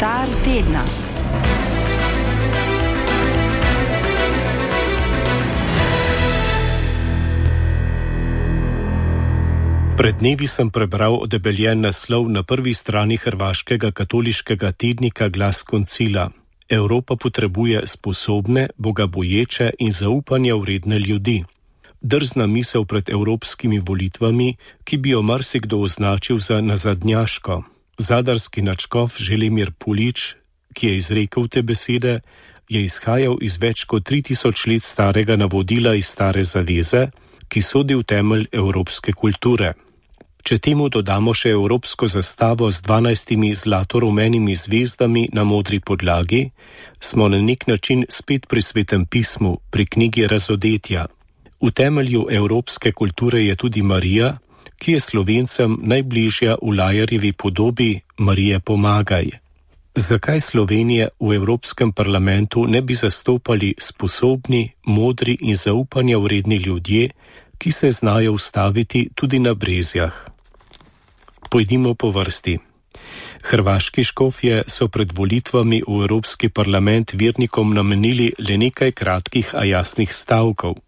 Komentar tedna. Pred dnevi sem prebral odebeljen naslov na prvi strani hrvaškega katoliškega tednika Glas koncila. Evropa potrebuje sposobne, bogaboječe in zaupanja vredne ljudi. Drzna misel pred evropskimi volitvami, ki bi jo marsikdo označil za nazadnjaško. Zadarski nadškof Želimir Pulič, ki je izrekel te besede, je izhajal iz več kot 3000 let starega navodila iz Stare zaveze, ki sodi v temelj evropske kulture. Če temu dodamo še evropsko zastavo z 12 zlato-rumenimi zvezdami na modri podlagi, smo na nek način spet pri Svetem pismu, pri knjigi Razodetja. V temelju evropske kulture je tudi Marija, ki je Slovencem najbližja v Lajarjevi podobi Marije pomagaj. Zakaj Slovenije v Evropskem parlamentu ne bi zastopali sposobni, modri in zaupanja vredni ljudje, ki se znajo ustaviti tudi na brezjah? Pojdimo po vrsti. Hrvaški škofje so pred volitvami v Evropski parlament vernikom namenili le nekaj kratkih, a jasnih stavkov.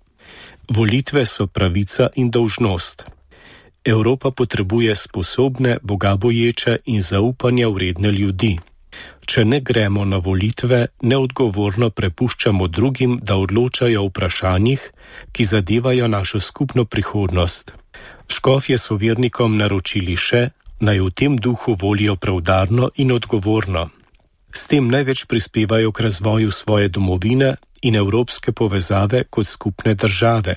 Volitve so pravica in dolžnost. Evropa potrebuje sposobne, bogaboječe in zaupanja vredne ljudi. Če ne gremo na volitve, neodgovorno prepuščamo drugim, da odločajo o vprašanjih, ki zadevajo našo skupno prihodnost. Škofje so vernikom naročili še, naj v tem duhu volijo preudarno in odgovorno. S tem največ prispevajo k razvoju svoje domovine in evropske povezave kot skupne države.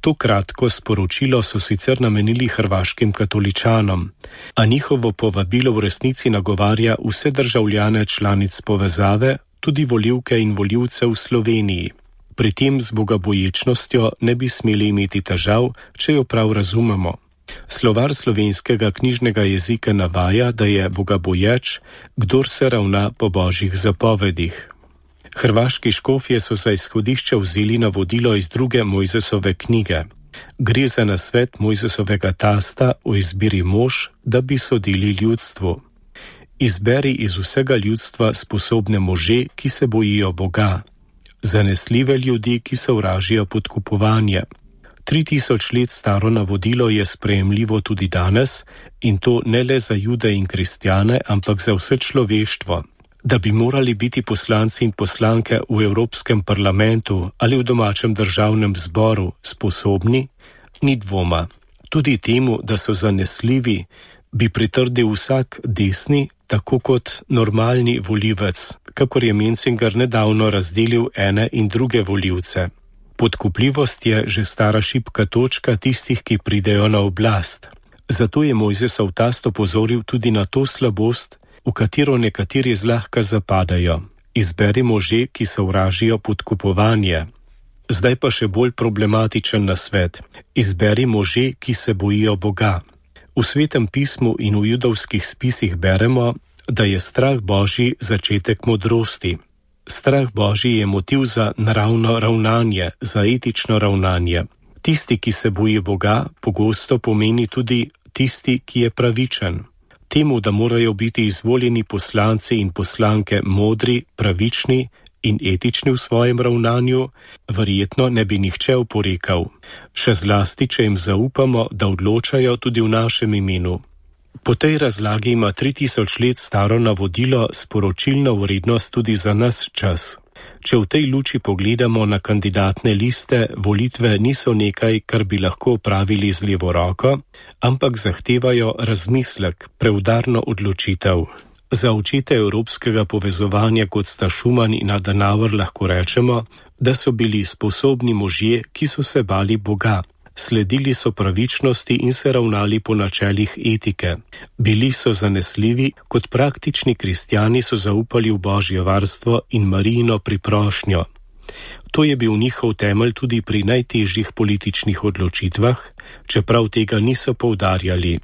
To kratko sporočilo so sicer namenili hrvaškim katoličanom, a njihovo povabilo v resnici nagovarja vse državljane članic povezave, tudi volivke in volivce v Sloveniji. Pri tem z bogaboječnostjo ne bi smeli imeti težav, če jo prav razumemo. Slovar slovenskega knjižnega jezika navaja, da je bogaboječ, kdor se ravna po božjih zapovedih. Hrvaški škofje so za izhodišče vzeli navodilo iz 2. Mojzesove knjige. Gre za nasvet Mojzesovega tasta o izbiri mož, da bi sodili ljudstvu. Izberi iz vsega ljudstva sposobne može, ki se bojijo Boga. Zanesljive ljudi, ki sovražijo podkupovanje. 3000 let staro navodilo je sprejemljivo tudi danes, in to ne le za Jude in kristjane, ampak za vse človeštvo. Da bi morali biti poslanci in poslanke v Evropskem parlamentu ali v domačem državnem zboru sposobni, ni dvoma. Tudi temu, da so zanesljivi, bi pritrdil vsak desni, tako kot normalni volivec, kakor je Menzinger nedavno razdelil ene in druge volivce. Podkupljivost je že stara šibka točka tistih, ki pridejo na oblast. Zato je Mojzesov tast opozoril tudi na to slabost, v katero nekateri zlahka zapadajo. Izberi može, ki sovražijo podkupovanje. Zdaj pa še bolj problematičen nasvet. Izberi može, ki se bojijo Boga. V Svetem pismu in v judovskih spisih beremo, da je strah Božji začetek modrosti. Strah Božji je motiv za naravno ravnanje, za etično ravnanje. Tisti, ki se boji Boga, pogosto pomeni tudi tisti, ki je pravičen. Temu, da morajo biti izvoljeni poslanci in poslanke modri, pravični in etični v svojem ravnanju, verjetno ne bi nihče oporekal. Še zlasti, če jim zaupamo, da odločajo tudi v našem imenu. Po tej razlagi ima 3000 let staro navodilo sporočilno vrednost tudi za nas čas. Če v tej luči pogledamo na kandidatne liste, volitve niso nekaj, kar bi lahko opravili z levo roko, ampak zahtevajo razmislek, preudarno odločitev. Za očete evropskega povezovanja, kot sta Schuman in Adenauer, lahko rečemo, da so bili sposobni možje, ki so se bali Boga. Sledili so pravičnosti in se ravnali po načelih etike. Bili so zanesljivi, kot praktični kristjani so zaupali v Božje varstvo in Marijino priprošnjo. To je bil njihov temelj tudi pri najtežjih političnih odločitvah, čeprav tega niso poudarjali.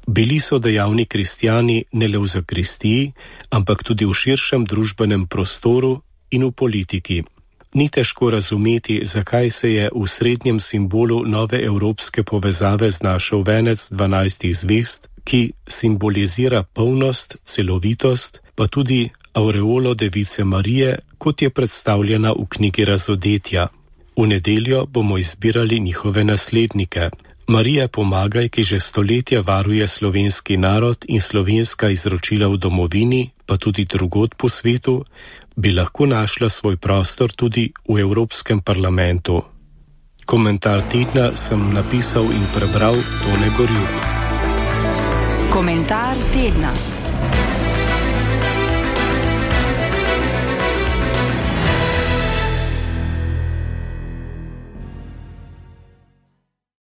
Bili so dejavni kristjani ne le v zakristiji, ampak tudi v širšem družbenem prostoru in v politiki. Ni težko razumeti, zakaj se je v srednjem simbolu nove evropske povezave znašel venec 12 zvezd, ki simbolizira polnost, celovitost, pa tudi aureolo Device Marije, kot je predstavljena v knjigi Razodetja. V nedeljo bomo izbirali njihove naslednike. Marija Pomagaj, ki že stoletja varuje slovenski narod in slovenska izročila v domovini, pa tudi drugod po svetu, bi lahko našla svoj prostor tudi v Evropskem parlamentu. Komentar tedna sem napisal in prebral Tone Gorjup. Komentar tedna.